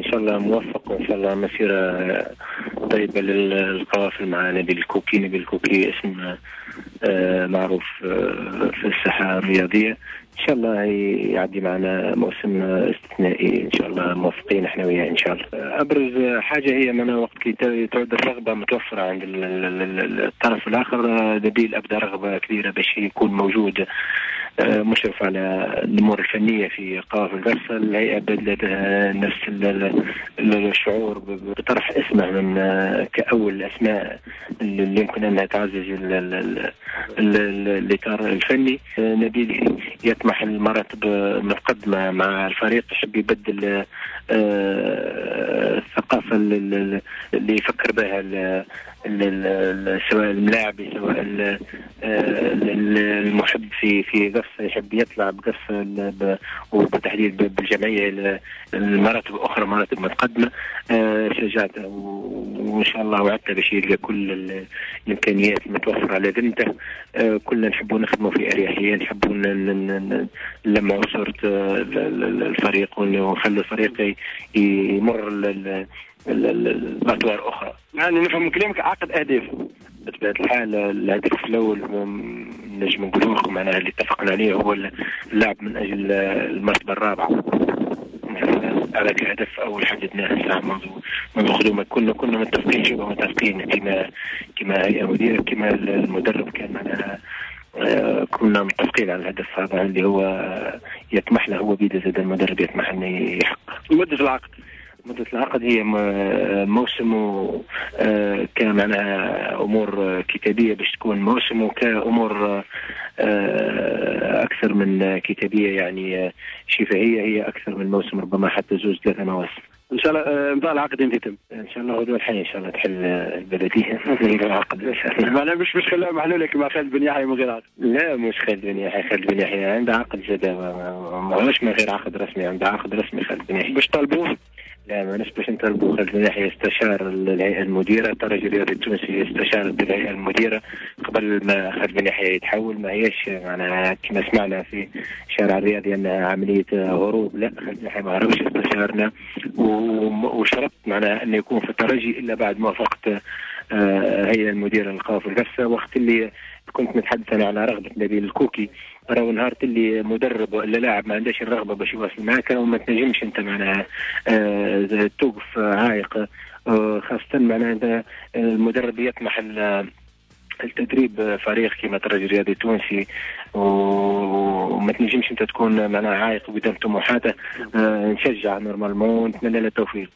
ان شاء الله موفق، وان شاء الله مسيره طيبة للقوافل مع نبيل الكوكي. نبيل الكوكي اسم معروف في الساحة الرياضيه، ان شاء الله يعدي معنا موسم استثنائي، ان شاء الله موفقين احنا وياه ان شاء الله. ابرز حاجة هي من وقت كي تعود الرغبة متوفرة عند الطرف الاخر. نبيل ابدى رغبة كبيرة باش يكون موجود مشرف على الامور الفنية في قوافل قفصه. الهيئة بدلت نفس الشعور بطرح اسمه من كاول الاسماء اللي يمكن انها تعزز الاطار الفني. نبيل يطمح المراتب المتقدمة مع الفريق، يحب يبدل الثقافة اللي يفكر بها سواء الملاعب سواء المحب في قفصه، يحب يطلع بقفصه وبالتحديد بالجمعيه المراتب اخرى، مراتب متقدمة. شجعته وان شاء الله وعدته باش يلقى كل الامكانيات المتوفرة على ذمته. كلنا نحبوا نخدموا في اريحية، نحبوا نلمعوا صوره الفريق ونخلوا الفريق يمر الاطوار اخرى. يعني نفهم من كلامك عقد اهداف. بطبيعة الحال الهدف الاول نجم نقول لكم معناها اللي اتفقنا عليه هو اللعب من اجل المرتبة الرابعة. هذا كهدف اول حددناه ساعة منذ قدومه. كنا متفقين، شبه متفقين كما هيئة مديره كما المدرب كان معناها كنا متفقين على الهدف هذا اللي هو يطمح له، هو بيد زاد المدرب يطمح انه يحقق. مده العقد، مدة العقد هي موسم، كان معناها أمور كتابية باش تكون موسم، وكأمور أكثر من كتابية يعني شفهية هي أكثر من موسم، ربما حتى 2-3 مواسم. إن شاء الله إمضاء العقد امتى يتم؟ إن شاء الله غدوة الحين إن شاء الله تحل البلدية العقد إن شاء الله. معناها مش خلاها محلولة كما خالد بن يحيى من غير عقد؟ لا مش خالد بن يحيى، خالد بن يحيى عنده عقد زاد، ماهوش من غير عقد رسمي، عنده عقد رسمي خالد بن يحيى. باش طالبوه؟ لا ما باش نطالبوا. خالد بن يحيى استشار الهيئة المديرة، الترجي الرياضي التونسي استشار الهيئة المديرة قبل ما خالد بن يحيى يتحول. ما هيش معناها كما سمعنا في الشارع الرياضي انها عملية هروب، لا خالد بن يحيى ما هربش، استشارنا وشرط معناها انه يكون في الترجي الا بعد موافقة الهيئة المديرة للقوافل القفصه. وقت اللي كنت نتحدث انا على رغبة نبيل الكوكي، راهو نهار اللي مدرب ولا لاعب ما عندهاش الرغبة باش يواصل معاك وما تنجمش انت معناها توقف عائق، خاصة معناها انت المدرب يطمح التدريب فريق كما الترجي الرياضي التونسي وما تنجمش انت تكون معناها عائق قدام طموحاته. نشجع normalement ونتمنى له التوفيق.